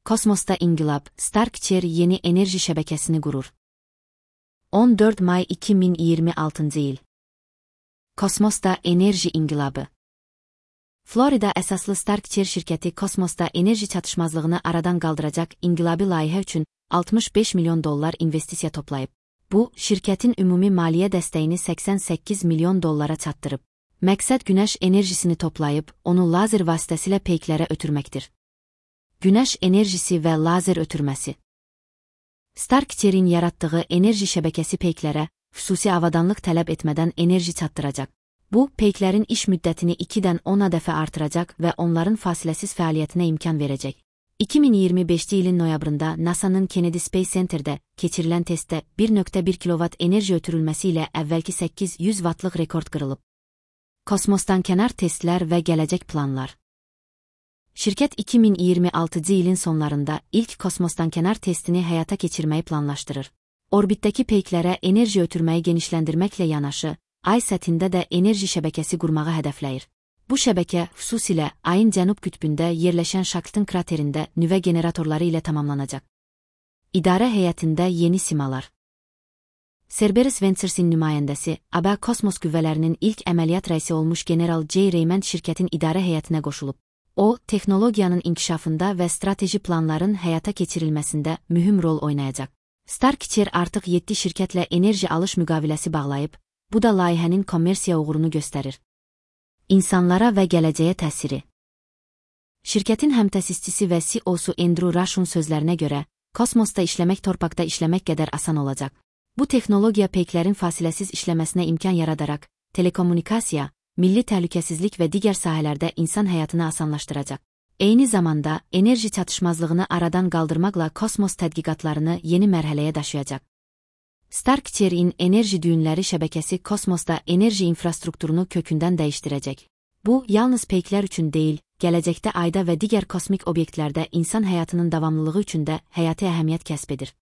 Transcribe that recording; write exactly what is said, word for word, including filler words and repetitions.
Kosmosta inqilab, Starkcher yeni enerji şəbəkəsini qurur. on dörd may iki min iyirmi altıncı il. Kosmosta enerji inqilabı. Florida əsaslı Starkcher şirkəti kosmosda enerji çatışmazlığını aradan qaldıracaq inqilabi layihə üçün altmış beş milyon dollar investisiya toplayıb. Bu, şirkətin ümumi maliyyə dəstəyini səksən səkkiz milyon dollara çatdırıb. Məqsəd günəş enerjisini toplayıb, onu lazer vasitəsilə peyklərə ötürməkdir. Günəş enerjisi və lazer ötürməsi. Starkcher'in yaratdığı enerji şəbəkəsi peyklərə xüsusi avadanlıq tələb etmədən enerji çatdıracaq. Bu, peyklərin iş müddətini ikidən ona dəfə artıracaq və onların fasiləsiz fəaliyyətinə imkan verəcək. iki min iyirmi beşinci ilin noyabrında NASA'nın Kennedy Space Center'də keçirilən testdə bir nöqtə bir kilovat enerji ötürülməsi ilə əvvəlki səkkiz yüz vatlıq rekord qırılıb. Kosmosdan kənar testlər və gələcək planlar. Şirkət iki min iyirmi altıncı ilin sonlarında ilk kosmosdan kənar testini həyata keçirməyi planlaşdırır. Orbitdəki peyklərə enerji ötürməyi genişləndirməklə yanaşı, Ay səthində də enerji şəbəkəsi qurmağı hədəfləyir. Bu şəbəkə xüsusilə Ayın cənub qütbündə yerləşən Shackleton kraterində nüvə generatorları ilə tamamlanacaq. İdarə heyətində yeni simalar. Cerberus Ventures'in nümayəndəsi, A B A Kosmos qüvvələrinin ilk əməliyyat rəisi olmuş General J. Raymond şirkətin idarə heyətinə qoşulub. O, texnologiyanın inkişafında və strateji planların həyata keçirilməsində mühüm rol oynayacaq. Starkcher artıq yeddi şirkətlə enerji alış müqaviləsi bağlayıb, bu da layihənin kommersiya uğurunu göstərir. İnsanlara və gələcəyə təsiri. Şirkətin həmtəsisçisi və C E O'su Andrew Rush'un sözlərinə görə, kosmosda işləmək torpaqda işləmək qədər asan olacaq. Bu texnologiya peyklərin fasiləsiz işləməsinə imkan yaradaraq, telekommunikasiya, milli təhlükəsizlik və digər sahələrdə insan həyatını asanlaşdıracaq. Eyni zamanda, enerji çatışmazlığını aradan qaldırmaqla kosmos tədqiqatlarını yeni mərhələyə daşıyacaq. Starkcher'in enerji düyünləri şəbəkəsi kosmosda enerji infrastrukturunu kökündən dəyişdirəcək. Bu, yalnız peyklər üçün deyil, gələcəkdə Ayda və digər kosmik obyektlərdə insan həyatının davamlılığı üçün də həyati əhəmiyyət kəsb edir.